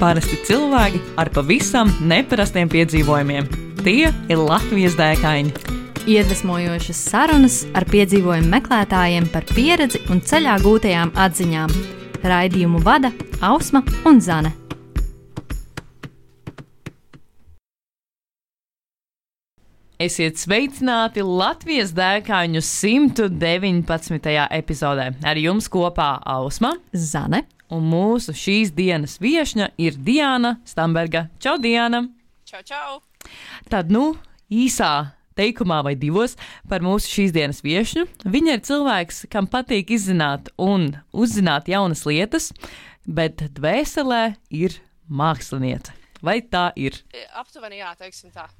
Parasti cilvēki ar pavisam neparastiem piedzīvojumiem. Tie ir Latvijas dēkaini. Iedvesmojošas sarunas ar piedzīvojumu meklētājiem par pieredzi un ceļā gūtajām atziņām. Raidījumu vada Ausma un Zane. Esiet sveicināti Latvijas dēkaņu 119. epizodē. Ar jums kopā Ausma, Zane un mūsu šīs dienas viešņa ir Diana Stamberga. Čau, Diana! Čau, čau! Tad, īsā teikumā vai divos par mūsu šīs dienas viešņu. Viņa ir cilvēks, kam patīk izzināt un uzzināt jaunas lietas, bet dvēselē ir māksliniece. Vai tā ir? Aptuveni jā, teiksim tā.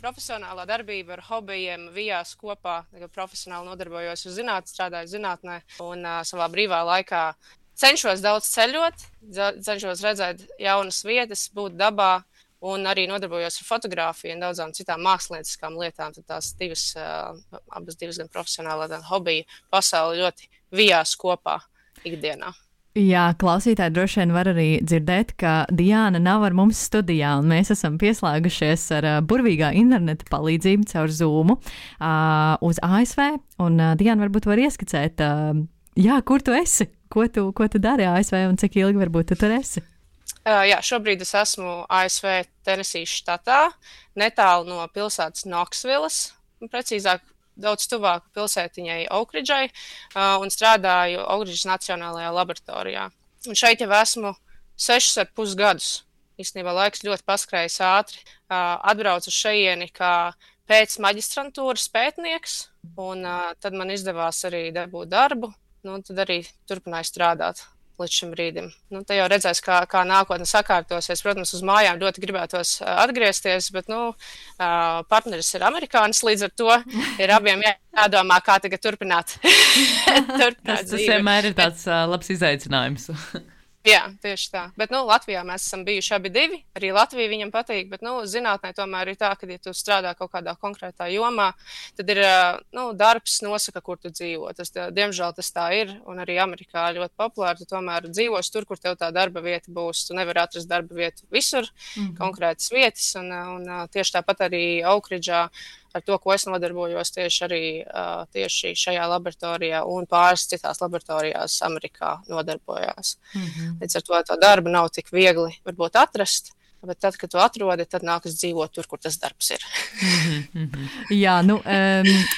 Profesionālā darbība ar hobijiem vijās kopā. Profesionāli nodarbojos ar zinātni, strādāju zinātnē un savā brīvā laikā cenšos daudz ceļot, cenšos redzēt jaunas vietas, būt dabā un arī nodarbojos ar fotogrāfiju un daudzām citām mākslinieckām lietām. Tad tās abas divas gan profesionālā, gan hobija pasauli ļoti vijās kopā ikdienā. Jā, klausītāji droši vien var arī dzirdēt, ka Diana nav ar mums studijā, un mēs esam pieslēgušies ar burvīgā interneta palīdzību caur Zoomu uz ASV, un Diana varbūt var ieskicēt, kur tu esi, ko tu dari ASV un cik ilgi varbūt tu tur esi? Jā, šobrīd es esmu ASV Tenesīs štatā, netālu no pilsētas Knoxvilles, precīzāk, daudz tuvāk pilsētiņai Oakridžai un strādāju Oakridžas Nacionālajā laboratorijā. Un šeit jau esmu 6,5 gadus. Īstenībā laiks ļoti paskrējis ātri. Atbraucu uz šejieni kā pēc maģistrantūras pētnieks, un tad man izdevās arī dabūt darbu, tad arī turpināju strādāt līdz šim brīdim. Te jau redzēs, kā nākotne sakārtosies. Protams, uz mājām ļoti gribētos atgriezties, bet partneris ir amerikānis, līdz ar to ir abiem jādomā, kā tagad turpināt. Tas vienmēr ir tāds labs izaicinājums. Jā, tieši tā. Bet Latvijā mēs esam bijuši abi divi. Arī Latvija viņam patīk, bet zinātnē tomēr ir tā, ka, ja tu strādā kaut kādā konkrētā jomā, tad ir darbs nosaka, kur tu dzīvo. Diemžēl tas tā ir, un arī Amerikā ļoti populāri. Tu tomēr dzīvos tur, kur tev tā darba vieta būs. Tu nevari atrast darba vietu visur, konkrētas vietas, un tieši tāpat arī Oakridžā. Ar to, ko es nodarbojos tieši šajā laboratorijā un pāris citās laboratorijās Amerikā nodarbojās. Līdz ar to darbu nav tik viegli varbūt atrast, bet tad, kad tu atrodi, tad nākas dzīvot tur, kur tas darbs ir. Jā,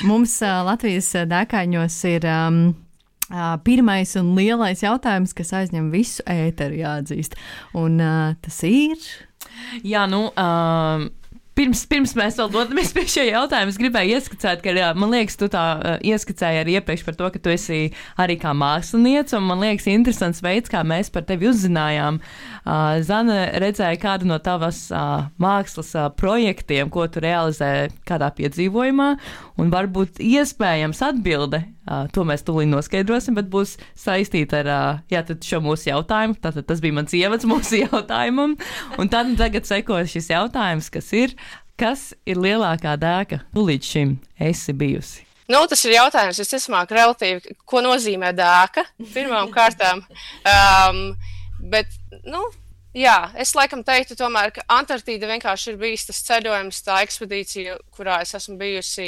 mums Latvijas dēkaņos ir pirmais un lielais jautājums, kas aizņem visu ēteru, jāatzīst. Un tas ir? Jā, Pirms mēs vēl dodamies pie šī jautājuma, es gribēju ieskicēt, ka, man liekas, tu tā ieskicēji arī iepriekš par to, ka tu esi arī kā māksliniece, un man liekas interesants veids, kā mēs par tevi uzzinājām. Zane redzēja kādu no tavas mākslas projektiem, ko tu realizē kādā piedzīvojumā, un varbūt iespējams atbilde, to mēs tūlīt noskaidrosim, bet būs saistīta ar šo mūsu jautājumu. Tātad tas bija mans ievads mūsu jautājumam, un tad tagad seko šis jautājums, kas ir lielākā dēka, tu līdz šim esi bijusi? Tas ir jautājums, visticamāk, relatīvi, ko nozīmē dēka, pirmām kārtām. Bet, jā, es laikam teiktu tomēr, ka Antarktīda vienkārši ir bijis tas ceļojums, tā ekspedīcija, kurā es esmu bijusi.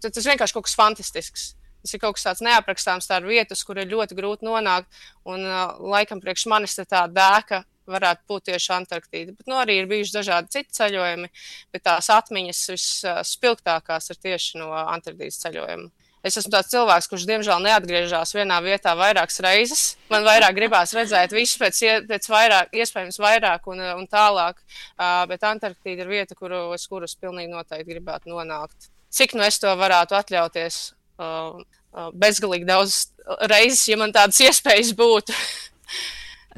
Tas vienkārši kaut kas fantastisks. Tas ir kaut kas tāds neaprakstāms, tā ir vietas, kur ir ļoti grūti nonākt, un laikam priekš manis tā dēka varētu būt tieši Antarktīda. Bet arī ir bijuši dažādi citi ceļojumi, bet tās atmiņas visspilgtākās ir tieši no Antarktīdas ceļojuma. Es esmu tāds cilvēks, kurš diemžēl neatgriežas vienā vietā vairākas reizes. Man vairāk gribās redzēt visu pēc vairāk, iespējams vairāk un tālāk, bet Antarktīda ir vieta, kurus pilnīgi noteikti gribētu nonākt. Cik es to varētu atļauties? Bezgalīgi daudz reizes, ja man tādas iespējas būtu.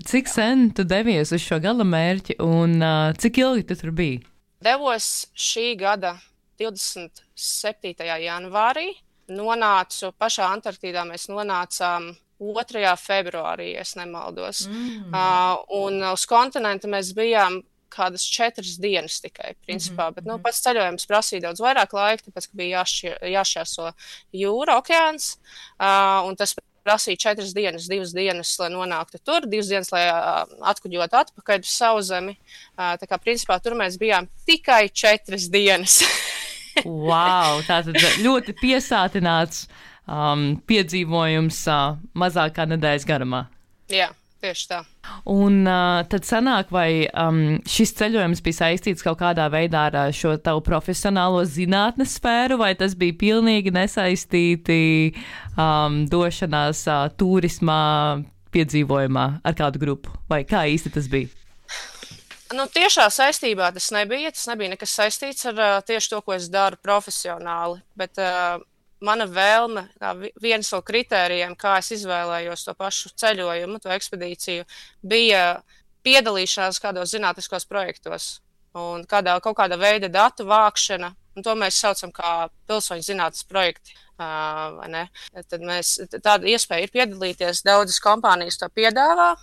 Cik sen tu devies uz šo gala mērķi un cik ilgi tu tur biji? Devos šī gada 27. janvārī. Nonācu pašā Antarktīdā, mēs nonācām 2. februārī, ja nemaldos. Un uz kontinentu mēs bijām kādas 4 dienas tikai, principā. Bet pats ceļojums prasīja daudz vairāk laika, tāpēc, ka bija jāšķērso jūra, okeāns, un tas prasīja 4 dienas, 2 dienas, lai nonāktu tur, 2 dienas, lai atkuģotu atpakaļ uz Sauszemi. Tā kā, principā, tur mēs bijām tikai 4 dienas. Wow, tātad ļoti piesātināts piedzīvojums mazākā nedēļas garumā. Jā, tieši tā. Un tad sanāk, vai šis ceļojums bija saistīts kaut kādā veidā ar šo tavu profesionālo zinātnes sfēru, vai tas bija pilnīgi nesaistīti došanās turismā piedzīvojumā ar kādu grupu? Vai kā īsti tas bija? Nu, tiešā saistībā tas nebija nekas saistīts ar tieši to, ko es daru profesionāli, bet mana vēlme, viens no kritērijiem, kā es izvēlējos to pašu ceļojumu, to ekspedīciju, bija piedalīšanās kādos zinātniskos projektos un kaut kāda veida datu vākšana, un to mēs saucam kā pilsoņu zinātnes projekti. Vai ne? Tad tāda iespēja ir piedalīties, daudzas kompānijas to piedāvā.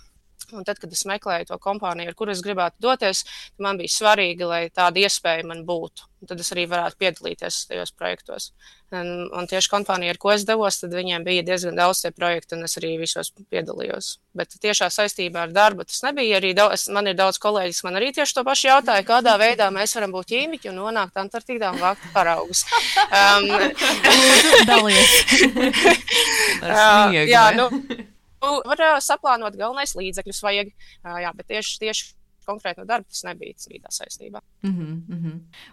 Un tad, kad es meklēju to kompāniju, ar kuru es gribētu doties, man bija svarīgi, lai tāda iespēja man būtu. Un tad es arī varētu piedalīties tajos projektos. Un tieši kompānija, ar ko es devos, tad viņiem bija diezgan daudz tie projekti, un es arī visos piedalījos. Bet tiešā saistībā ar darbu tas nebija. Arī man ir daudz kolēģis, man arī tieši to pašu jautāja, kādā veidā mēs varam būt ķīmiķi un nonākt Antarktīdā un vākt paraugus. Dalies. Jā, var saplānot, galvenais līdzekļus vajag, jā, bet tieši konkrēti no darba tas nebija tā saistībā.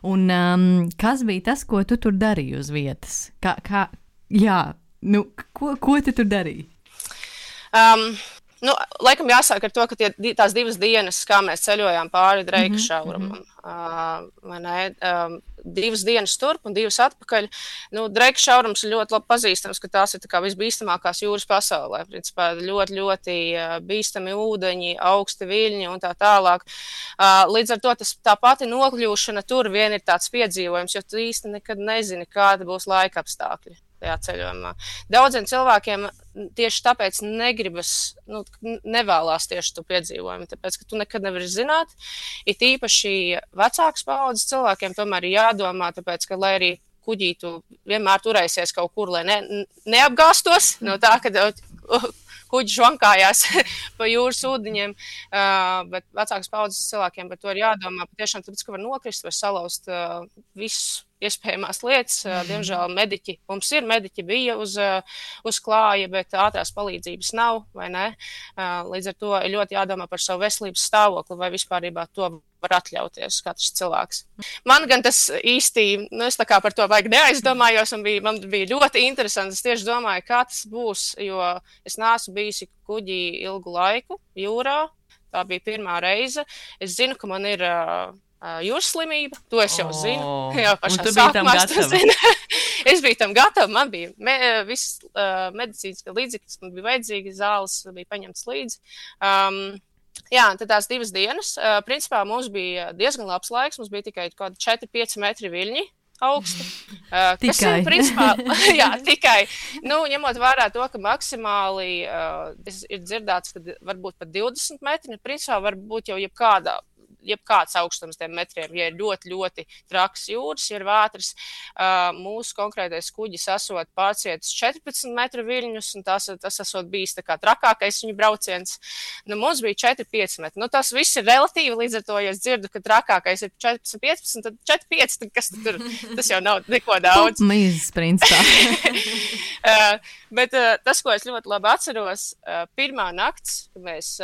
Un kas bija tas, ko tu tur darīji uz vietas? Ko tu tur darīji? Laikam jāsāk ar to, ka tās 2 dienas, kā mēs ceļojām pāri Dreika šaurumam, 2 dienas turp un 2 atpakaļ. Dreika šaurums ir ļoti labi pazīstams, ka tās ir visbīstamākās jūras pasaulē. Principā ļoti, ļoti bīstami ūdeņi, augsti viļņi un tā tālāk. Līdz ar to tā pati nokļūšana tur vien ir tāds piedzīvojums, jo tu īsti nekad nezini, kāda būs laika apstākļi tajā ceļojumā. Daudziem cilvēkiem tieši tāpēc nevēlās tieši tu piedzīvojumu, tāpēc, ka tu nekad nevari zināt. It īpaši vecākas paaudzes cilvēkiem tomēr ir jādomā, tāpēc, ka, lai arī kuģī tu vienmēr turēsies kaut kur, lai neapgāstos no tā, ka kuģi žvankājās pa jūras ūdeņiem, bet vecākas paaudzes cilvēkiem par to ir jādomā, patiešām tāpēc, ka var nokrist, var salauzt visus iespējamās lietas. Diemžēl mediķi bija uz klāja, bet ātrās palīdzības nav, vai ne? Līdz ar to ir ļoti jādomā par savu veselības stāvokli, vai vispārībā to var atļauties katrs cilvēks. Man gan tas īsti, es tā kā par to vajag neaizdomājos, un man bija ļoti interesanti. Es tieši domāju, kā tas būs, jo es neesmu bijusi kuģī ilgu laiku jūrā. Tā bija pirmā reize. Es zinu, ka man ir jūras slimība, to es jau zinu. Jā, pašā sākumā es to zinu. Es biju tam gatava, man bija viss medicīnas līdzekļus, man bija vajadzīgi, zāles bija paņemts līdzi. Jā, tad tās 2 dienas. Principā mums bija diezgan labs laiks, mums bija tikai kaut kādi 4-5 metri viļņi augsti. Kas ir, principā, jā, tikai, ņemot vērā to, ka maksimāli ir dzirdēts, ka varbūt pat 20 metri, principā var būt jau jebkāds augstums tiem metriem, ja ir ļoti, ļoti traks jūras, ja ir vētras. Mūsu konkrētais kuģis esot pārcietis 14 metru viļņus, un tas esot bijis tā kā trakākais viņu brauciens. Mums bija 4-5 metri. Tas viss ir relatīvi, līdz ar to, ja es dzirdu, ka trakākais ir 14-15, tad 4-5, tad kas tur? Tas jau nav neko daudz. Mīzes, principā. Bet tas, ko es ļoti labi atceros, pirmā nakts, kad mēs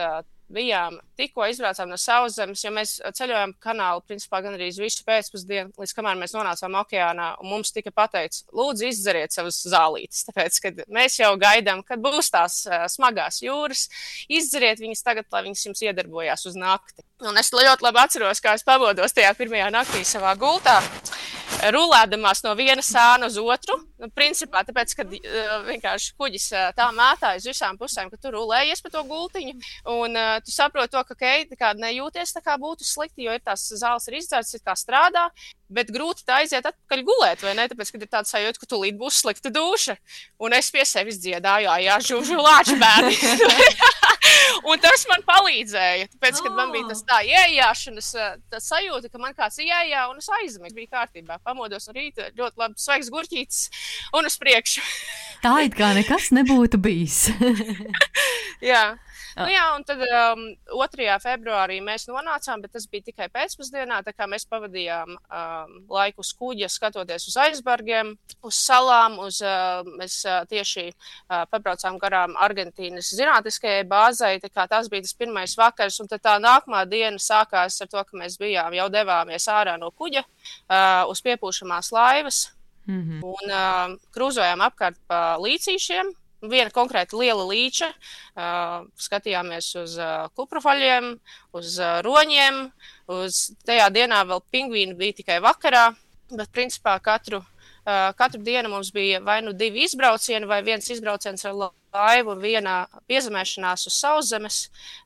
tikko izbraucām no Sauszemes, jo mēs ceļojām kanālu, principā, gan arī visu pēcpusdienu, līdz kamēr mēs nonācām okeānā, un mums tika pateikts, lūdzu, izdzeriet savas zālītes, tāpēc, kad mēs jau gaidām, kad būs tās smagās jūras, izdzeriet viņas tagad, lai viņas jums iedarbojās uz nakti. Un es ļoti labi atceros, kā es pamodos tajā pirmajā naktī savā gultā, rulēdamās no viena sāna uz otru, principā, tāpēc, kad vienkārši kuģis tā mētā uz visām pusēm, ka tu rulējies pa to gultiņu, un tu saproti to, ka nejūties tā kā būtu slikti, jo ir tās zāles ir izdzerts, ir kā strādā, bet grūti tā aiziet atpakaļ gulēt, vai ne? Tāpēc, kad ir tāds sajūta, ka tūlīt būs slikta duša. Un es pie sevis dziedāju, jā, žužu lāču bērni. Un tas man palīdzēja. Tāpēc, kad man bija tas tā iejāšanas sajūta, ka man kāds iejā un es aizmiegu, bija kārtībā. Pamodos no rīta, ļoti labi svaigs gurķītis un uz priekšu. Tā it kā nekas nebūtu bijis. Jā. Un tad 2. februārī mēs nonācām, bet tas bija tikai pēcpusdienā, tā kā mēs pavadījām laiku uz kuģa, skatoties uz aizbergiem, uz salām, mēs tieši pabraucām garām Argentīnas zinātniskajai bāzei, tā kā tas bija tas pirmais vakars, un tad tā nākamā diena sākās ar to, ka mēs jau devāmies ārā no kuģa uz piepūšamās laivas un krūzojām apkārt pa līcīšiem. Viena konkrēta liela līča, skatījāmies uz kuprafaļiem, uz roņiem, tajā dienā vēl pingvīni bija tikai vakarā, bet principā katru dienu mums bija vai nu 2 izbraucieni, vai 1 izbrauciens ar laivu un 1 piezemēšanās uz sauszemes,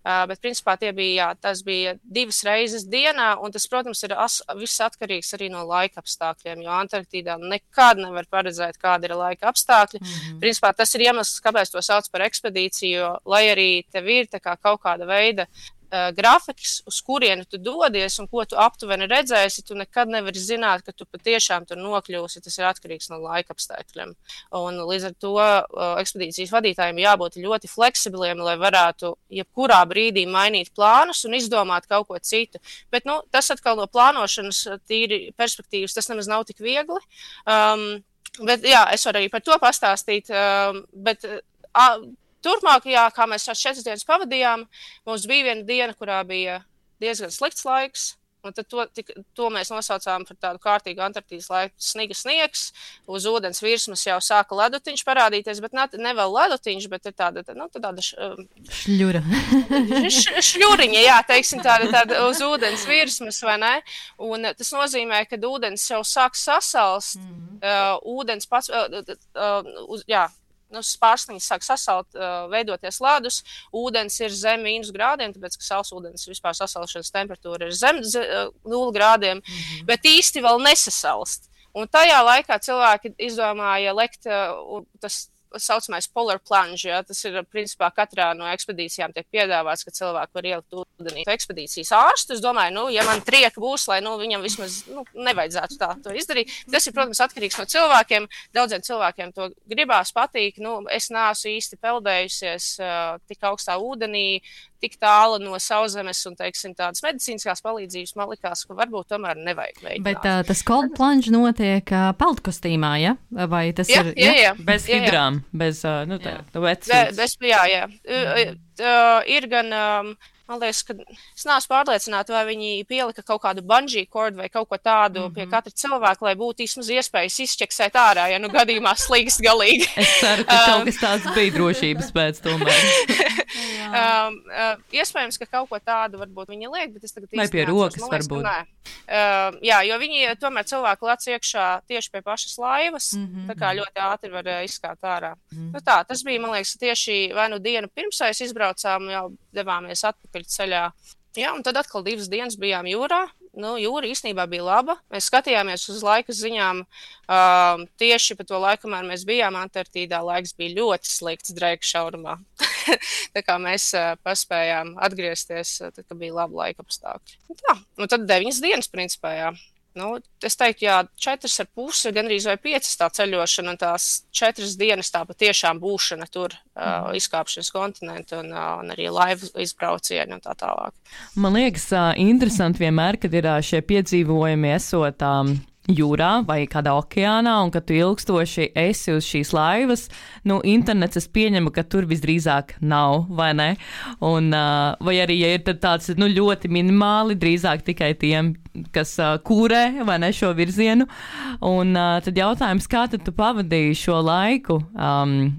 bet principā tas bija 2 reizes dienā, un tas, protams, ir viss atkarīgs arī no laika apstākļiem, jo Antarktīdā nekad nevar paredzēt, kāda ir laika apstākļi. Principā tas ir iemesls, kāpēc to sauc par ekspedīciju, jo, lai arī tev ir kaut kāda veida grafiks, uz kurieni tu dodies un ko tu aptuveni redzēsi, tu nekad nevari zināt, ka tu patiešām tur nokļūsi. Tas ir atkarīgs no laika apstākļiem. Un līdz ar to ekspedīcijas vadītājiem jābūt ļoti fleksibiliem, lai varētu jebkurā brīdī mainīt plānus un izdomāt kaut ko citu. Bet tas atkal no plānošanas tīri perspektīvas, tas nemaz nav tik viegli. Bet jā, es varu arī par to pastāstīt. Turpmāk, kā mēs 4 dienas pavadījām, mums bija viena diena, kurā bija diezgan slikts laiks, un tad to mēs nosaucām par tādu kārtīgu Antarktīdas laiku sniegs. Uz ūdens virsmas jau sāka ledutiņš parādīties, bet ne vēl ledutiņš, bet ir tāda šļura. Šļuriņa, jā, teiksim, tāda uz ūdens virsmas, vai ne? Un tas nozīmē, ka ūdens jau sāk sasalst, ūdens pats, pārsniņas sāk sasalt, veidoties ledus, ūdens ir zem -grādiem, tāpēc, ka sausūdens vispār sasalšanas temperatūra ir zem 0 grādiem, bet īsti vēl nesasalst. Un tajā laikā cilvēki izdomāja lekt tas saucamais polar plunge, ja, tas ir principā katrā no ekspedīcijām tiek piedāvāts, ka cilvēki var ielikt ūdenī. Ekspedīcijas ārstu, es domāju, ja man trieka būs, lai viņam vismaz nevajadzētu to izdarīt. Tas ir, protams, atkarīgs no cilvēkiem. Daudziem cilvēkiem to gribās, patīk. Es neesmu īsti peldējusies tik augstā ūdenī, tik tālu no sauszemes un, teiksim, tādas medicīniskās palīdzības, man likās, ka varbūt tomēr nevajag mēģināt. Bet tas cold plunge notiek peldkostīmā, ja? Vai tas ir? Jā. Bez hidrām, bez vecības. Jā. Ir gan, man liekas, ka es neesmu pārliecināta, vai viņi pielika kaut kādu bungee cord vai kaut ko tādu pie katra cilvēka, lai būtu vismaz iespējas izšķeksēt ārā, ja gadījumā slīgst galīgi. Es ceru, ka kaut kas tāds bija drošības pēc tomēr. Iespējams, ka kaut ko tādu varbūt viņi liek, bet es tagad vai pie rokas varbūt. Jā, jo viņi tomēr cilvēku lec iekšā tieši pie pašas laivas, tā kā ļoti ātri var izskāt ārā. Tas bija, man liekas, tieši vai dienu pirms mēs izbraucām, jau devāmies atpakaļ ceļā. Jā, un tad atkal 2 dienas bijām jūrā. Jūra īstenībā bija laba. Mēs skatījāmies uz laika ziņām tieši pa to laiku, kamēr mēs bijām Antarktīdā. Laiks bija ļoti slikts Dreika šaurumā. Tā kā mēs paspējām atgriezties, tad, kad bija laba laika apstākļi. Un tad 9 dienas principā, jā. Es teiktu, 4,5, gandrīz vai 5 tā ceļošana un tās 4 dienas tā patiešām būšana tur, izkāpšanas kontinentu un arī laivu izbraucieni un tā tālāk. Man liekas, interesanti vienmēr, kad ir šie piedzīvojumi esot jūrā vai kādā okeānā, un ka tu ilgstoši esi uz šīs laivas, internets es pieņemu, ka tur visdrīzāk nav, vai ne? Un, vai arī, ja ir tāds ļoti minimāli, drīzāk tikai tiem, kas kūrē, vai ne, šo virzienu. Un tad jautājums, kā tad tu pavadīji šo laiku,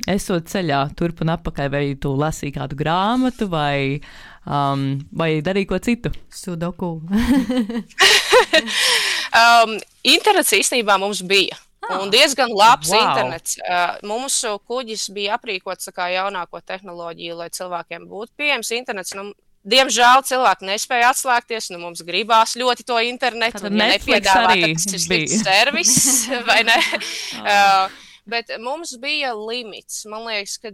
esot ceļā turp un atpakaļ, vai tu lasīji kādu grāmatu, vai darīji ko citu? Sudoku. Internets īstenībā mums bija. Un diezgan labs internets. Mūsu kuģis bija aprīkots kā jaunāko tehnoloģiju, lai cilvēkiem būtu pieejams internets. Diemžēl cilvēki nespēja atslēgties, mums gribās ļoti to internetu. Tad nepiedāvā, ka tas ir slikts servis, vai ne? Bet mums bija limits. Man liekas, ka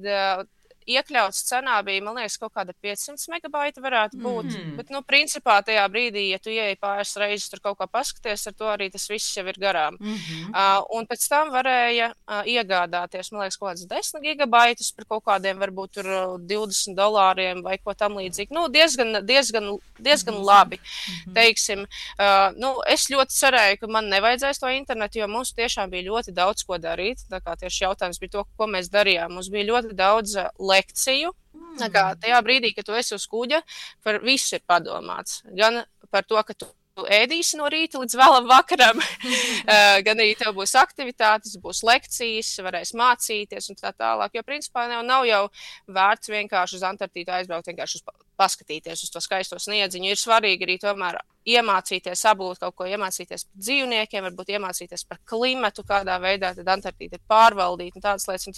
iekļauts cenā bija, man liekas, kaut kāda 500 megabaita varētu būt. Bet, principā tajā brīdī, ja tu ieeji pāris reizes tur kaut kā paskaties, ar to arī tas viss jau ir garām. Un pēc tam varēja iegādāties, man liekas, kaut kāds 10 gigabaitus par kaut kādiem varbūt tur $20 vai ko tam līdzīgi. Diezgan labi, teiksim. Es ļoti cerēju, ka man nevajadzēs to internetu, jo mums tiešām bija ļoti daudz ko darīt. Tā kā tieši jautājums bija to, ko mēs darījām. Mums bija ļoti daudz lekciju. Tajā brīdī, kad tu esi uz kuģa, par visu ir padomāts. Gan par to, ka tu ēdīsi no rīta līdz vēlam vakaram, gan arī tev būs aktivitātes, būs lekcijas, varēs mācīties un tā tālāk. Jo principā nav jau vērts vienkārši uz Antarktīdu aizbraukt, vienkārši paskatīties uz to skaisto sniedziņu. Ir svarīgi arī tomēr iemācīties, apgūt kaut ko, iemācīties par dzīvniekiem, varbūt iemācīties par klimatu, kādā veidā tad Antarktīda ir pārvaldīta un tādas lietas. Un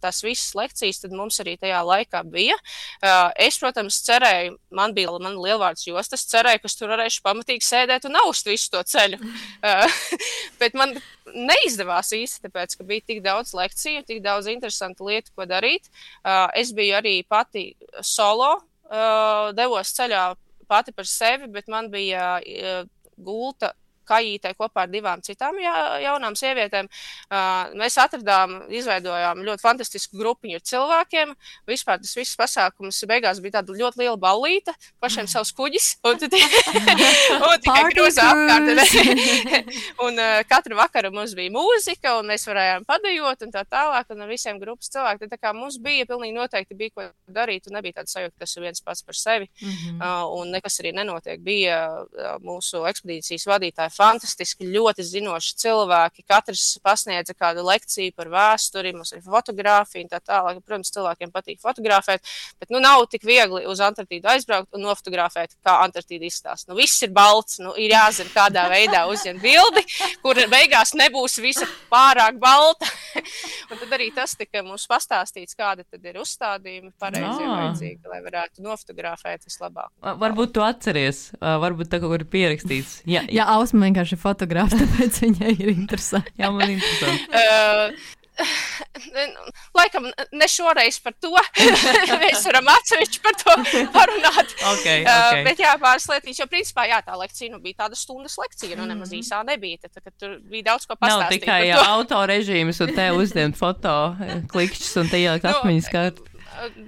tas viss lekcijas tad mums arī tajā laikā bija. Es, protams, cerēju, man bija lielvārds jostas, cerēju, ka es tur varēšu pamatīgi sēdēt un aust visu to ceļu. Bet man neizdevās īsti, tāpēc, ka bija tik daudz lekciju, tik daudz interesantu lietu, ko darīt. Es biju arī pati solo, devos ceļā pati par sevi, bet man bija gulta kajītē kopā ar 2 citām jaunām sievietēm. Mēs izveidojām ļoti fantastisku grupiņu ar cilvēkiem. Vispār tas viss pasākums beigās bija tāda ļoti liela ballīta, pašiem savs kuģis. Un tikai grūzā apkārt. Un katru vakaru mums bija mūzika, un mēs varējām padejot un tā tālāk, un ar visiem grupas cilvēkiem. Tā kā mums bija pilnīgi noteikti bija ko darīt, un nebija tāda sajūta, ka tas ir viens pats par sevi. Un nekas arī nenotiek. Bija mūsu ekspedīcijas vadītāji fantastiski, ļoti zinoši cilvēki. Katrs pasniedza kādu lekciju par vēsturi, mums ir fotogrāfija un tā tālāk. Protams, cilvēkiem patīk fotografēt, bet nav tik viegli uz Antarktīdu aizbraukt un nofotografēt, kā Antarktīda izstāsta. Viss ir balts, ir jāzina, kādā veidā uzņemt bildi, kur beigās nebūs visa pārāk balta. Un tad arī tas tika mums pastāstīts, kāda tad ir uzstādījumi pareizie vajadzīgi, lai varētu nofotografēt vislabāk. Varbūt tu atceries, varbūt tā kaut kur ir pierakstīts. Jā, Ausma vienkārši fotogrāfs, tāpēc viņai ir interesanti. Jā, man ir interesanti. Laikam ne šoreiz par to. Mēs varam atsevišķi par to parunāt. Okay. Bet jā, pāris lietīši, jo principā tā lekcija bija tāda stundas lekcija, nemaz īsā nebija. Tad tur bija daudz ko pastāstīt. Nav tikai autorežīms un te uzdemt foto klikšķus un te ielikt atmiņas kārtu.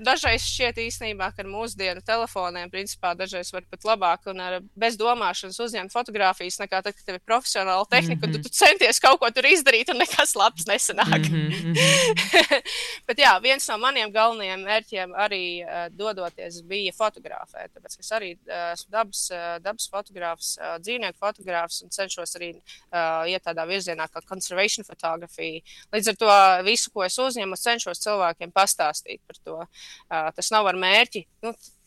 Dažreiz šķiet īstenībā, ka ar mūsdienu telefoniem, principā, dažreiz var pat labāk un bez domāšanas uzņemt fotogrāfijas, nekā tad, kad tev ir profesionāla tehnika, un tu centies kaut ko tur izdarīt, un nekas labs nesanāk. Bet jā, viens no maniem galvenajiem mērķiem arī dodoties bija fotografēt, tāpēc, ka es arī esmu dabas fotogrāfs, dzīvnieku fotogrāfs, un cenšos arī iet tādā virzienā kā conservation photography. Līdz ar to visu, ko es uzņemu, cenšos cilvēkiem pastāstīt par to. Tas nav ar mērķi,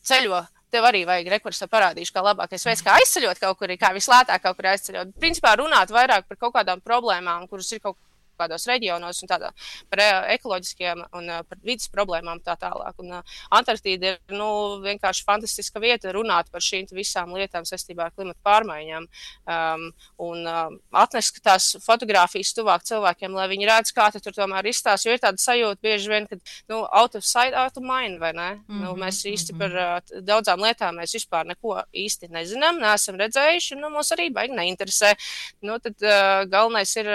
ceļo, tev arī vajag rekursu parādīšu, kā labākais veids, kā aizceļot kaut kur, kā vislētāk kaut kur aizceļot. Principā runāt vairāk par kaut kādām problēmām, kuras ir kaut kādos reģionos un tādā par ekoloģiskiem un par vidas problēmām tā tālāk. Un Antarktīda ir vienkārši fantastiska vieta runāt par šīm visām lietām saistībā ar klimatu pārmaiņām un atnest tās fotogrāfijas tuvāk cilvēkiem, lai viņi redz, kā tur tomēr izstāsta, jo ir tāda sajūta bieži vien, ka out of sight, out of mind, vai ne? Mēs īsti par daudzām lietām mēs vispār neko īsti nezinām, neesam redzējuši, mūs arī baigi neinteresē. Tad galvenais ir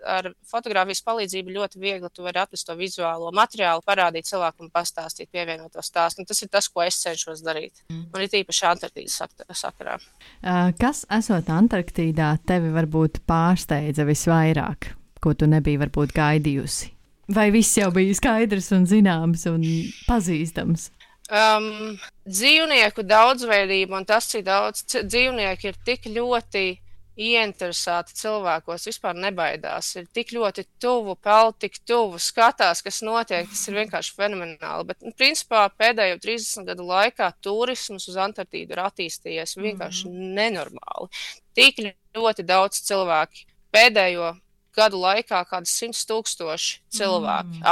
ar fotogrāfijas palīdzību ļoti viegli tu vari atrast to vizuālo materiālu, parādīt cilvēku un pastāstīt, pievienot to stāstu. Un tas ir tas, ko es cenšos darīt. Un ir tīpaši Antarktīdas sakarā. Kas, esot Antarktīdā, tevi varbūt pārsteidza visvairāk, ko tu nebija varbūt gaidījusi? Vai viss jau bija skaidrs un zināms un pazīstams? Dzīvnieku daudzveidība un tas, cik daudz dzīvnieku ir tik ļoti ieinteresēti cilvēkos, vispār nebaidās. Ir tik ļoti tuvu, peld tik tuvu, skatās, kas notiek, tas ir vienkārši fenomenāli. Bet, principā, pēdējo 30 gadu laikā turisms uz Antarktīdu ir attīstījies vienkārši nenormāli. Tik ļoti daudz cilvēki pēdējo gadu laikā kādas 100,000 cilvēki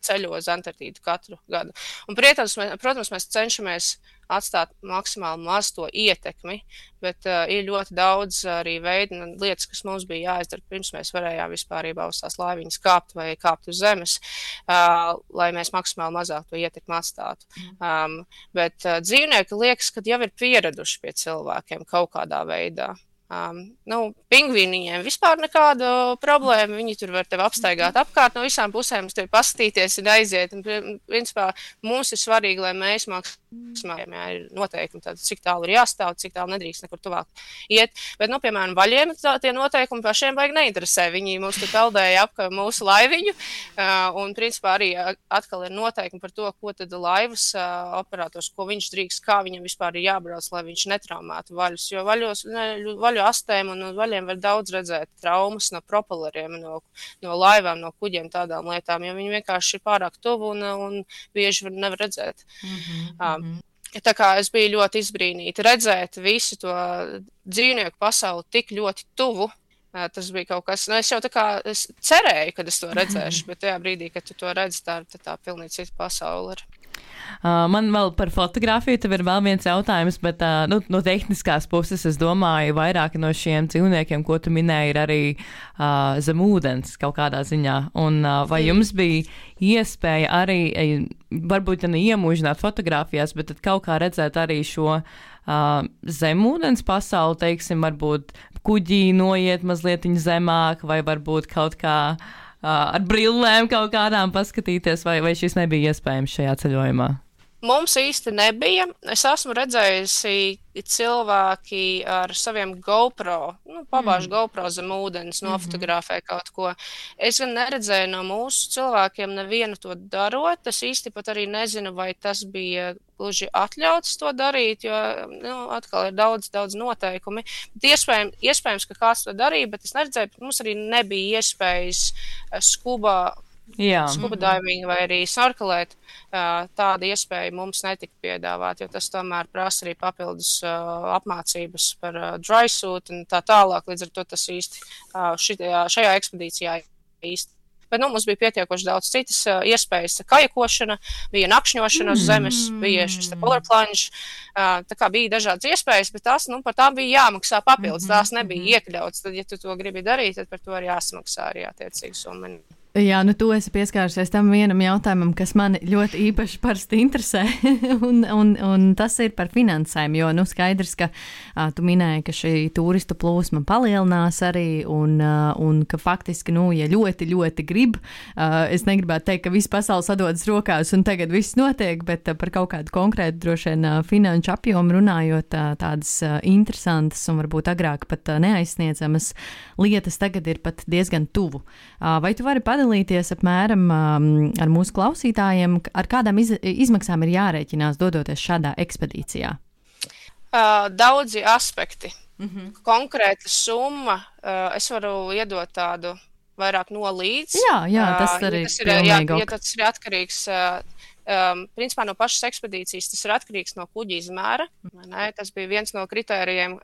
ceļo uz Antarktīdu katru gadu. Un, protams, mēs cenšamies atstāt maksimāli maz to ietekmi, bet ir ļoti daudz arī veidu un lietas, kas mums bija jāizdara, pirms mēs varējām vispārībā uz tās laiviņas kāpt vai kāpt uz zemes, lai mēs maksimāli mazāk to ietekmi atstātu. Bet dzīvnieki liekas, ka jau ir pieraduši pie cilvēkiem kaut kādā veidā. Pingvīniem vispār nekādu problēmu, viņi tur var tevi apstaigāt apkārt no visām pusēm, uz tevi paskatīties un aiziet, un principā mums ir svarīgi, lai mēs maksimāli ir noteikumi, tātad, cik tālu ir jāstāv, cik tālu nedrīkst nekur tuvāk iet, bet, piemēram, vaļiem tie noteikumi pašiem vajag neinteresē, viņi mums tur peldēja ap mūsu laiviņu, un principā arī atkal ir noteikumi par to, ko tad laivas operators, ko viņš drīkst, kā viņam vispār ir jābrauc, lai viņš netraumētu vaļus, jo vaļu astēm un vaļiem var daudz redzēt traumas no propelleriem, no laivām, no kuģiem, tādām lietām, jo viņi vienkārši ir pārāk tuvu un bieži nevar redzēt. Tā kā es biju ļoti izbrīnīta redzēt visu to dzīvnieku pasauli tik ļoti tuvu. Tas bija kaut kas, es jau es cerēju, kad es to redzēšu, bet tajā brīdī, kad tu to redzi, tā pilnīgi cita pasaule ir. Man vēl par fotografiju tev ir vēl viens jautājums, bet no tehniskās puses es domāju, vairāki no šiem dzīvniekiem, ko tu minēji, ir arī zem ūdens kaut kādā ziņā. Un vai jums bija iespēja arī, varbūt iemūžināt fotografijās, bet tad kaut kā redzēt arī šo zemūdens pasauli, teiksim, varbūt kuģī noiet mazliet zemāk, vai varbūt kaut kā ar brillēm kaut kādām paskatīties, vai šis nebija iespējams šajā ceļojumā? Mums īsti nebija. Es esmu redzējusi cilvēki ar saviem GoPro, pabāž GoPro zem ūdens, nofotografē kaut ko. Es gan neredzēju no mūsu cilvēkiem nevienu to darot. Es īsti pat arī nezinu, vai tas bija gluži atļauts to darīt, jo atkal ir daudz noteikumi. Iespējams, ka kāds to darīja, bet es neredzēju, bet mums arī nebija iespējas scuba diving vai arī snorkelēt. Tāda iespēja mums netika piedāvāt, jo tas tomēr prasa arī papildus apmācības par dry suit un tā tālāk. Līdz ar to tas īsti šajā ekspedīcijā īsti. Bet mums bija pietiekoši daudz citas iespējas. Kajakošana, bija nakšņošana uz zemes, bija šis polar plunge. Tā kā bija dažādas iespējas, bet tās, par tām bija jāmaksā papildus. Tās nebija iekļauts. Tad, ja tu to gribi darīt, tad par to arī jāsamaksā arī attiecīgi summa. Jā, tu esi pieskārusies tam vienam jautājumam, kas mani ļoti īpaši parasti interesē, un tas ir par finansēm, jo, skaidrs, ka tu minēji, ka šī turistu plūsma palielinās arī, un ka faktiski, ja ļoti, ļoti grib, es negribētu teikt, ka viss pasaules sadodas rokās un tagad viss notiek, bet par kaut kādu konkrētu droši vien finanšu apjomu runājot, tādas interesantas un varbūt agrāk pat neaizsniedzamas lietas tagad ir pat diezgan tuvu. Vai tu vari padalīties apmēram ar mūsu klausītājiem, ar kādām izmaksām ir jārēķinās dodoties šādā ekspedīcijā? Daudzi aspekti. Konkrēta summa, es varu iedot tādu vairāk nolīdz. Jā, tas arī ja tas ir atkarīgs. Principā no pašas ekspedīcijas tas ir atkarīgs no kuģa izmēra. Tas bija viens no kritērijiem,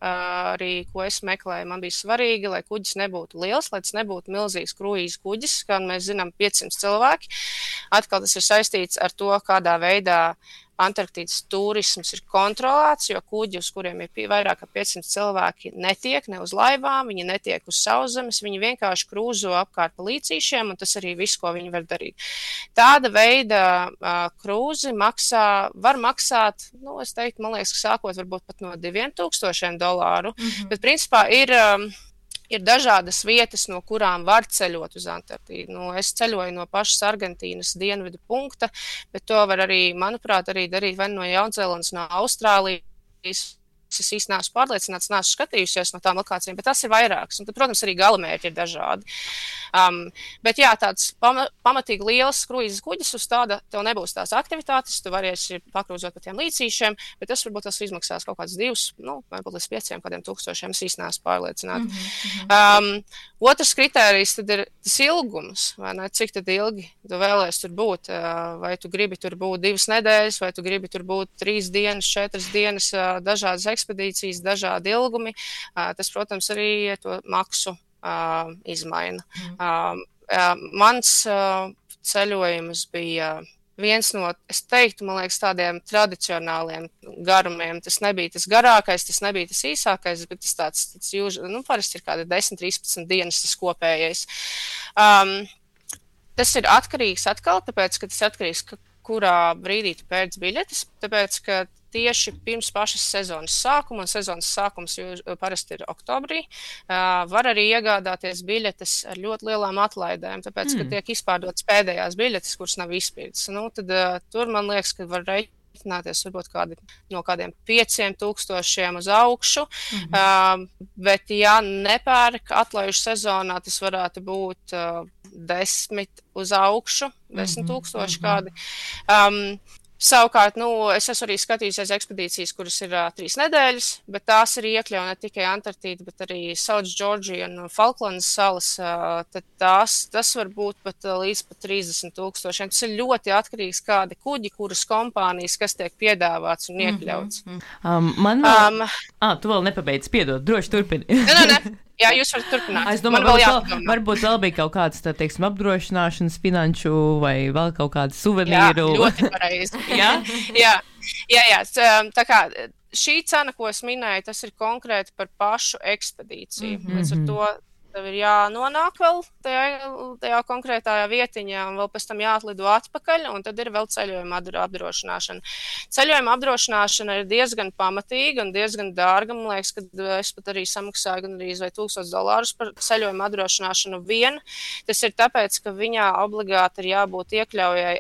arī, ko es meklēju. Man bija svarīgi, lai kuģis nebūtu liels, lai tas nebūtu milzīgs kruīzes kuģis, kā mēs zinām 500 cilvēki. Atkal tas ir saistīts ar to, kādā veidā Antarktīdas turisms ir kontrolēts, jo kuģi, uz kuriem ir vairāk kā 500 cilvēki, netiek ne uz laivām, viņi netiek uz sauszemes, viņi vienkārši krūzo apkārt pa līcīšiem, un tas arī viss, ko viņi var darīt. Tāda veida krūzi var maksāt, es teiktu, man liekas, ka sākot varbūt pat no $2,000, bet principā ir dažādas vietas, no kurām var ceļot uz Antarktīdu. Es ceļoju no pašas Argentīnas dienvidu punkta, bet to var arī, manuprāt, arī darīt vai no Jaunzēlandes, no Austrālijas. Es īsti neesmu pārliecināts, neesmu skatījusies no tām lokācijām, bet tas ir vairāks. Un tad, protams, arī galamērķi ir dažādi. Bet jā, tāds pamatīgi liels kruīzes kuģis uz tāda, tev nebūs tās aktivitātes, tu varēsi pakrūzot pa tiem līcīšiem, bet tas varbūt tas izmaksās kaut kāds 2, varbūt līdz 5 kādiem tūkstošiem, es īsti neesmu pārliecināta. Otrs kritērijs tad ir tas ilgums, vai ne? Cik tad ilgi tu vēlēsi tur būt, vai tu gribi tur būt 2 nedēļas, vai tu gribi tur būt 3 dienas, 4 dienas, dažādas ekspedīcijas, dažādi ilgumi. Tas, protams, arī to maksu izmaina. Mans ceļojums bija viens no, es teiktu, man liekas, tādiem tradicionāliem garumiem. Tas nebija tas garākais, tas nebija tas īsākais, bet tas tāds parasti ir kādi 10-13 dienas tas kopējais. Tas ir atkarīgs atkal, tāpēc, ka tas atkarīgs, kurā brīdī tu pērc biļetes, tāpēc, ka tieši pirms pašas sezonas sākuma, un sezonas sākums parasti ir oktobrī, var arī iegādāties biļetes ar ļoti lielām atlaidēm, tāpēc, ka tiek izpārdotas pēdējās biļetes, kuras nav izpirktas. Tad tur man liekas, ka var rēķināties varbūt no kādiem 5,000 uz augšu, bet ja nepērk atlaižu sezonā, tas varētu būt 10 uz augšu, 10,000 kādi. Savukārt, es esmu arī skatījusies ekspedīcijas, kuras ir 3 nedēļas, bet tās arī iekļauj ne tikai Antarktīdu, bet arī South Georgia un Falklandas salas. Tad tas var būt pat līdz 30,000. Tas ir ļoti atkarīgs kādi kuģi, kuras kompānijas, kas tiek piedāvāts un iekļauts. Tu vēl nepabeidz, piedod, droši turpini. Ne. Jā, jūs varat turpināt. Es domāju, varbūt vēl bija kaut kāds, teiksim, apdrošināšanas finanšu vai vēl kaut kādu suvenīru. Jā, ļoti pareizi. Jā. Tā kā šī cena, ko es minēju, tas ir konkrēti par pašu ekspedīciju. Līdz ar to tev ir jānonāk vēl tajā konkrētajā vietiņā un vēl pēc tam jāatlido atpakaļ, un tad ir vēl ceļojuma apdrošināšana. Ceļojuma apdrošināšana ir diezgan pamatīga un diezgan dārga. Man liekas, ka es pat arī samaksāju gandrīz vai $1,000 par ceļojuma apdrošināšanu vien. Tas ir tāpēc, ka viņā obligāti ir jābūt iekļaujai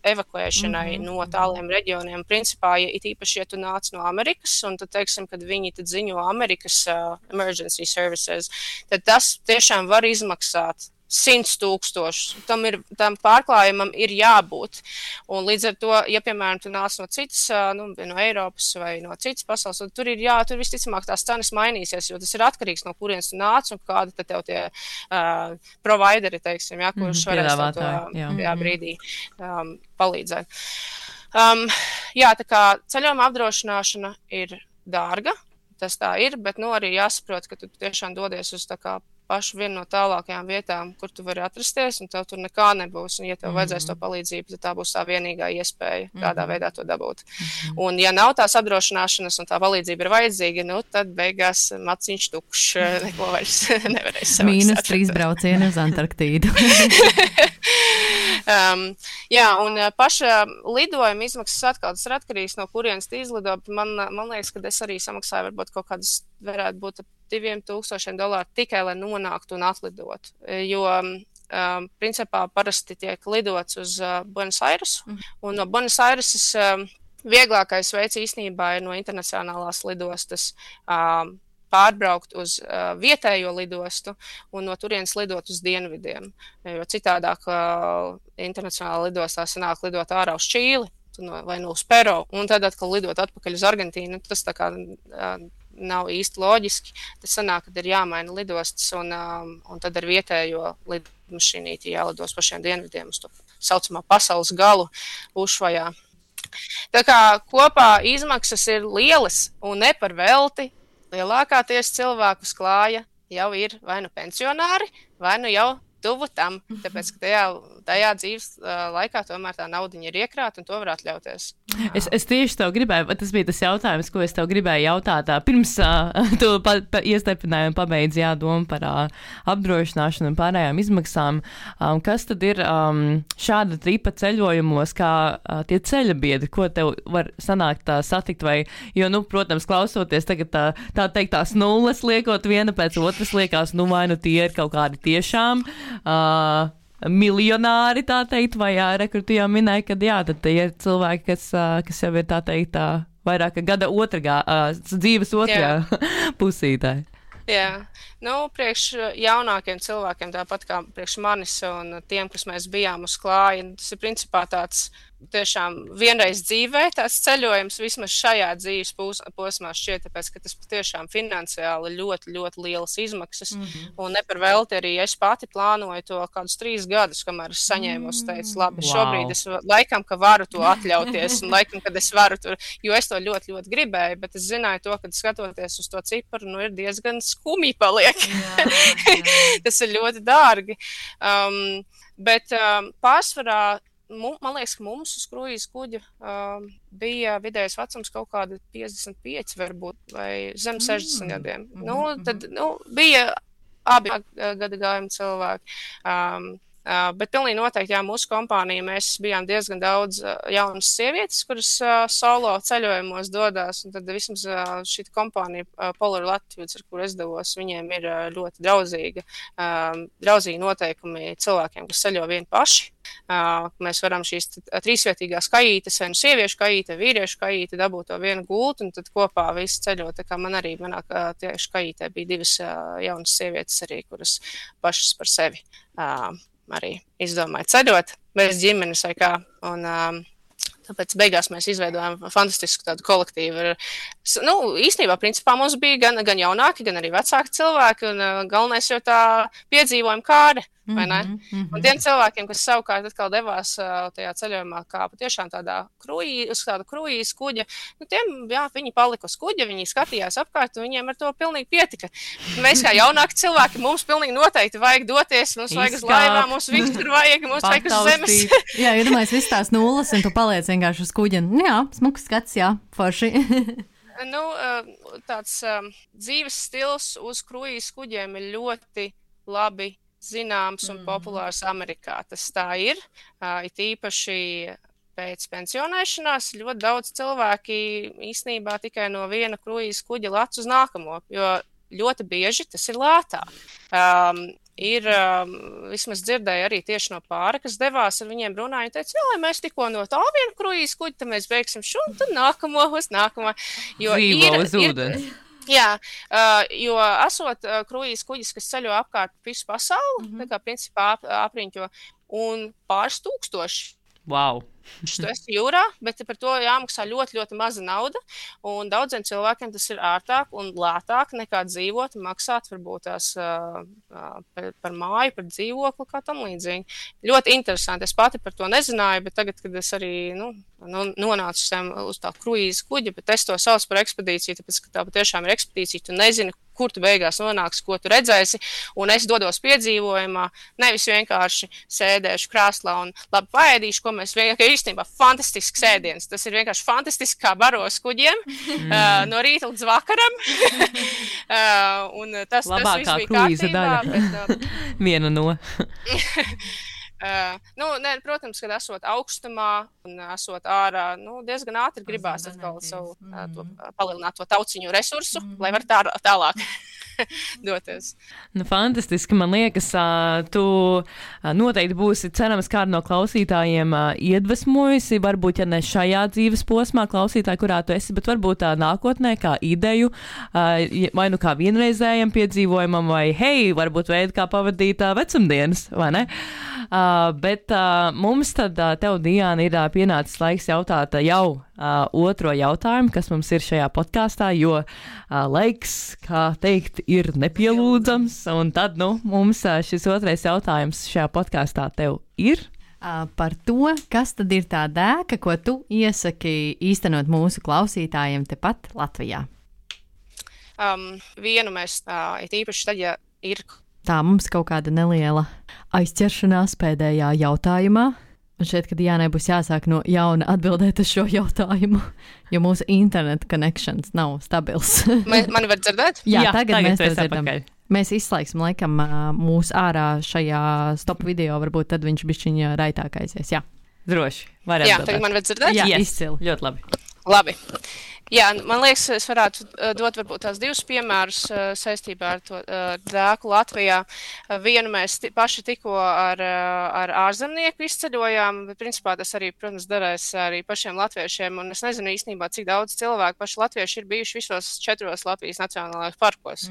evakuēšanai no tāliem reģioniem. Principā, it īpaši, ja tu nāc no Amerikas, un tad, teiksim, kad viņi tad ziņo Amerikas emergency services, tad tas tiešām var izmaksāt 100,000. Tam pārklājumam ir jābūt. Un līdz ar to, ja, piemēram, tu nāc no citas, no Eiropas vai no citas pasaules, tad tur visticamāk tās cenas mainīsies, jo tas ir atkarīgs no kurienes tu nāc un kādi tad tev tie provideri, teiksim, kurš varēs to brīdī palīdzēt. Tā kā ceļojuma apdrošināšana ir dārga, tas tā ir, bet arī jāsaprot, ka tu tiešām dodies uz tā kā pašu vienu no tālākajām vietām, kur tu vari atrasties, un tev tur nekā nebūs. Un, ja tev vajadzēs to palīdzību, tad tā būs tā vienīgā iespēja tādā veidā to dabūt. Un, ja nav tās apdrošināšanas un tā palīdzība ir vajadzīga, tad beigās maciņš tukšs, neko vairs nevarēs samaksāt. -3 braucieni uz Antarktīdu. Un paša lidojuma izmaksas atkal tas ir atkarīgs no kurienes tu izlido. Man liekas, ka es arī samaksāju varbūt kaut kādas varētu būt $2,000 tikai, lai nonāktu un atlidotu. Jo, principā, parasti tiek lidots uz Buenos Aires, un no Buenos Aireses vieglākais veids īstenībā ir no internacionālās lidostas pārbraukt uz vietējo lidostu un no turienes lidot uz dienvidiem. Jo citādāk internacionālā lidostā sanāk lidot ārā uz Čīli vai no uz Peru, un tad atkal lidot atpakaļ uz Argentīnu. Tas tā kā nav īsti loģiski. Tas sanāk, kad ir jāmaina lidostas, un tad ar vietējo lidmašīnīti jālidos pašiem dienvidiem uz to saucamā pasaules galu Ušvajā. Tā kā kopā izmaksas ir lielas un ne par velti. Lielākāties cilvēkus klāja jau ir vai nu pensionāri, vai nu jau tuvu tam, tāpēc, ka tajā dzīves laikā tomēr tā naudiņa ir iekrāta un to var atļauties. Es tieši tev gribēju, tas bija tas jautājums, ko es tev gribēju jautāt. Pirms tu iestepināji un pabeidzi domu par apdrošināšanu un pārējām izmaksām. Kas tad ir šāda tipa ceļojumos, kā tie ceļabiedri, ko tev var sanākt satikt? Jo, protams, klausoties tagad tā teikt tās nulles liekot viena pēc otras liekas, vai nu tie ir kaut kādi tiešām miljonāri, tā teikt, vai kur tu jau minēji, ka tad tie ir cilvēki, kas jau ir tā teikt vairāk gada dzīves otrā pusītē. Jā, priekš jaunākiem cilvēkiem, tāpat kā priekš manis un tiem, kas mēs bijām uz klāja, tas ir principā tāds tiešām vienreiz dzīvē tās ceļojums vismaz šajā dzīves posmā šķiet, tāpēc, ka tas patiešām finansiāli ļoti, ļoti lielas izmaksas. Un ne par velti arī es pati plānoju to kādus 3 gadus, kamēr es saņēmu, teicu, labi, šobrīd es laikam, ka varu to atļauties, un laikam, kad es varu tur, jo es to ļoti, ļoti gribēju, bet es zināju to, kad skatoties uz to ciparu, ir diezgan skumji paliek. Tas ir ļoti dārgi. Bet pārsvarā, man liekas, ka mums uz kruīza kuģa bija vidējais vecums kaut kāda 55 varbūt, vai zem 60 gadiem. Tad bija abi gada gājumi cilvēki. Bet pilnīgi noteikti, jā, mūsu kompānija, mēs bijām diezgan daudz jaunas sievietes, kuras solo ceļojumos dodās, un tad vismaz šī kompānija Polar Latitudes, ar kur es devos, viņiem ir ļoti draudzīgi noteikumi cilvēkiem, kas ceļo vieni paši. Mēs varam šīs 3-vietīgās kajītes, vai sieviešu kajīte, vīriešu kajīte, dabūt to vienu gultu, un tad kopā visi ceļo. Tā kā man arī manā tieši kajītē bija 2 jaunas sievietes arī, kuras pašas par sevi arī izdomāja ceļot bez ģimenes vai kā. Un tāpēc beigās mēs izveidojām fantastisku tādu kolektīvu. Īstenībā, principā mums bija gan jaunāki, gan arī vecāki cilvēki, un galvenais jau tā piedzīvojuma kāde, vai ne? Un tiem cilvēkiem, kas savukārt atkal devās tajā ceļojumā kā patiešām uz tādu kruīza kuģa, tiem, jā, viņi palika uz kuģa, viņi skatījās apkārt, un viņiem ar to pilnīgi pietika. Mēs kā jaunāki cilvēki, mums pilnīgi noteikti vajag doties, mums vajag uz laivām, mums visur vajag, mums vajag uz zemes. Jā, iedomājies viss tās nulles, un tu paliec vienkārši uz kuģa. Jā, smuks skats, jā, forši. Tāds dzīves stils uz kruīza kuģiem ir ļoti labi zināms un populārs Amerikā. Tas tā ir. It īpaši pēc pensionēšanās ļoti daudz cilvēki īstenībā tikai no viena kruīza kuģa lec uz nākamo, jo ļoti bieži tas ir lētāk. Vismaz dzirdēju arī tieši no pāra, kas devās ar viņiem runāja un teica, lai mēs tikko no tā vienu kruīza kuģi, tad mēs beigsim šo un tad nākamo uz nākamo. Dzīvo uz ūdens. Jā, jo esot kruīza kuģis, kas ceļo apkārt visu pasauli, tā kā principā apriņķo, un pāris tūkstoši. Wow. Tu esi jūrā, bet par to jāmaksā ļoti, ļoti maza nauda, un daudziem cilvēkiem tas ir ārtāk un lētāk nekā dzīvot un maksāt varbūt tās par māju, par dzīvokli, kā tam līdzīgi. Ļoti interesanti. Es pati par to nezināju, bet tagad, kad es arī nonācu uz tā kruīza kuģa, bet es to saucu par ekspedīciju, tāpēc, ka tā patiešām ir ekspedīcija, tu nezini, kur tu beigās nonāksi, ko tu redzēsi, un es dodos piedzīvojumā, nevis vienkārši sēdēšu krāslā un labi paēdīšu, ko mēs vienkārši īstenībā fantastisks ēdiens. Tas ir vienkārši fantastiski kā baros kuģiem, no rīta līdz vakaram. Un tas viss bija kārtībā. Bet, viena no. Protams, kad esot augstumā un esot ārā, diezgan ātri gribās atkal savu palielināt to tauciņu resursu, lai var tālāk doties. Fantastiski, man liekas, tu noteikti būsi, cerams, kādu no klausītājiem iedvesmojusi, varbūt, ja ne šajā dzīves posmā klausītāji, kurā tu esi, bet varbūt nākotnē kā ideju, vai kā vienreizējam piedzīvojumam, vai hei, varbūt veidi, kā pavadīt vecumdienas, vai ne? Bet mums tad tev, Diana, ir pienācis laiks jautāt jau otro jautājumu, kas mums ir šajā podkāstā, jo laiks, kā teikt, ir nepielūdzams, un tad, mums šis otrais jautājums šajā podkāstā tev ir. Par to, kas tad ir tā dēka, ko tu iesaki īstenot mūsu klausītājiem tepat Latvijā? Vienu mēs īpaši tad, ja ir... Tā mums kaut kāda neliela aizķeršanās pēdējā jautājumā. Un šeit, kad Jānai būs jāsāk no jauna atbildēt uz šo jautājumu, jo mūsu internet connections nav stabils. Mani var dzirdēt? Jā, tagad mēs to dzirdam. Mēs izslēgsim laikam mūsu ārā šajā stop video, varbūt tad viņš bišķiņa raitāk aizies. Jā, droši. Var atbildēt. Tagad man var dzirdēt? Jā, izcili. Ļoti labi. Labi. Jā, man liekas, es varētu dot varbūt tās 2 piemērus saistībā ar to dēku Latvijā. Vienu mēs paši tikko ar ārzemnieku izceļojām, bet principā tas arī, protams, darēs arī pašiem latviešiem, un es nezinu īstenībā, cik daudz cilvēku paši latvieši ir bijuši visos 4 Latvijas nacionālajos parkos.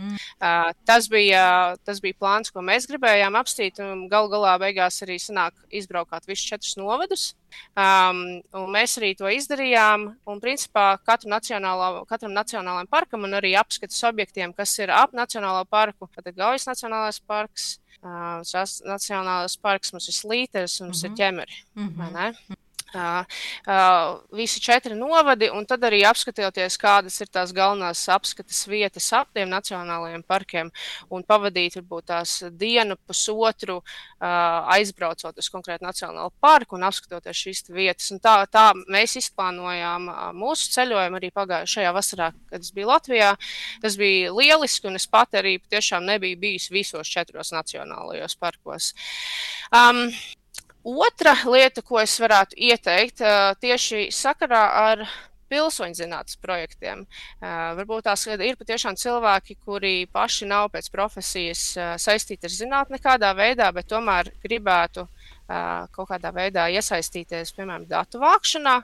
Tas bija plāns, ko mēs gribējām apstīt, un galu galā beigās arī sanāk izbraukāt visus 4 novadus. Un mēs arī to izdarījām. Un, principā, katram nacionālajam parkam un arī apskates objektiem, kas ir ap nacionālo parku, tad Gaujas nacionālais parks, nacionālais parks, mums ir Slīteris un mums ir Ķemeri. Vai ne? Visi 4 novadi, un tad arī apskatoties, kādas ir tās galvenās apskates vietas ap tiem nacionālajiem parkiem, un pavadīt varbūt tās dienu, pusotru, aizbraucot uz konkrētu nacionālu parku un apskatoties šīs vietas. Un tā mēs izplānojām mūsu ceļojumu arī pagājušajā vasarā, kad es biju Latvijā. Tas bija lieliski, un es pat arī tiešām nebiju bijis visos 4 nacionālajos parkos. Otra lieta, ko es varētu ieteikt, tieši sakarā ar pilsoņu zinātnes projektiem. Varbūt tās ir patiešām cilvēki, kuri paši nav pēc profesijas saistīti ar zinātni nekādā veidā, bet tomēr gribētu kaut kādā veidā iesaistīties, piemēram, datu vākšanā,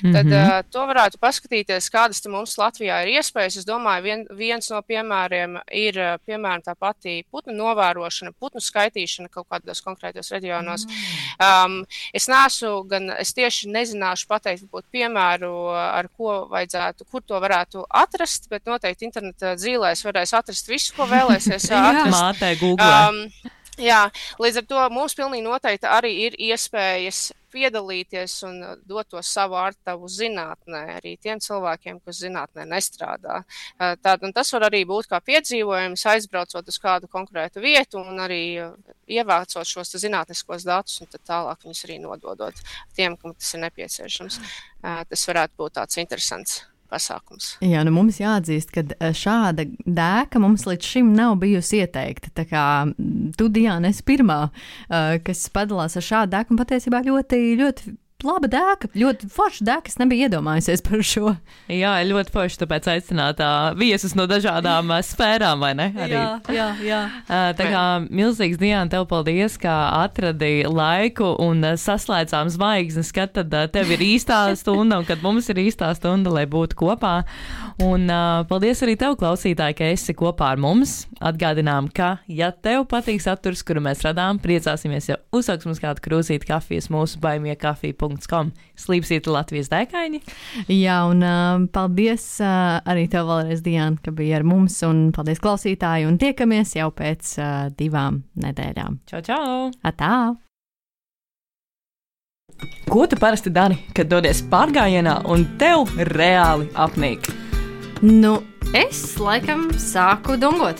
tad to varētu paskatīties, kādas te mums Latvijā ir iespējas. Es domāju, viens no piemēriem ir, piemēram, tā pati putnu novērošana, putnu skaitīšana kaut kādos konkrētos reģionos. Es tieši nezināšu pateikt, varbūt piemēru, ar ko vajadzētu, kur to varētu atrast, bet noteikti interneta dzīlēs varēs atrast visu, ko vēlēsies atrast. Mātē Google. Jā, līdz ar to mums pilnīgi noteikti arī ir iespējas piedalīties un dot to savu artavu zinātnē, arī tiem cilvēkiem, kas zinātnē nestrādā. Un tas var arī būt kā piedzīvojums, aizbraucot uz kādu konkrētu vietu un arī ievācot šos zinātniskos datus un tad tālāk viņus arī nododot tiem, kam tas ir nepieciešams. Tas varētu būt tāds interesants pasākums. Jā, mums jāatzīst, ka šāda dēka mums līdz šim nav bijusi ieteikta. Tā kā tu, Diana, esi pirmā, kas padalās ar šādu dēku un patiesībā ļoti, ļoti laba dēka, ļoti forša dēka, es nebiju iedomājusies par šo. Jā, ļoti forši, tāpēc aicināt viesus no dažādām sfērām, vai ne? Arī. Jā. Tā kā milzīgs, Diana, tev paldies, ka atradi laiku un saslēdzām zvaigznes, kad tad tev ir īstā stunda un kad mums ir īstā stunda, lai būtu kopā. Un paldies arī tev, klausītāji, ka esi kopā ar mums. Atgādinām, ka, ja tev patīk saturs, kuru mēs radām, priecāsimies, ja uzsāks mums kādu krūzīti kafijas mūsu baimiekafija.com. Slīpsīti Latvijas dēkaini. Jā, un paldies arī tev vēlreiz, Diana, ka bija ar mums, un paldies klausītāji, un tiekamies jau pēc 2 nedēļām. Čau! Atā! Ko tu parasti dari, kad dodies pārgājienā un tev reāli apnīk? Nu, es laikam sāku dungot.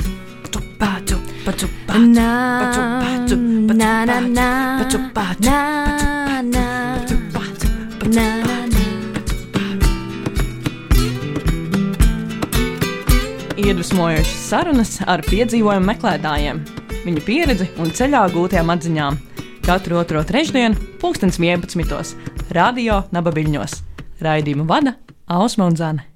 Iedvesmojošas sarunas ar piedzīvojumu meklētājiem, viņu pieredzi un ceļā gūtajām atziņām. Katru otro trešdienu, 11:00, Radio Nabaviļņos. Raidījumu vada Ausma un Zane.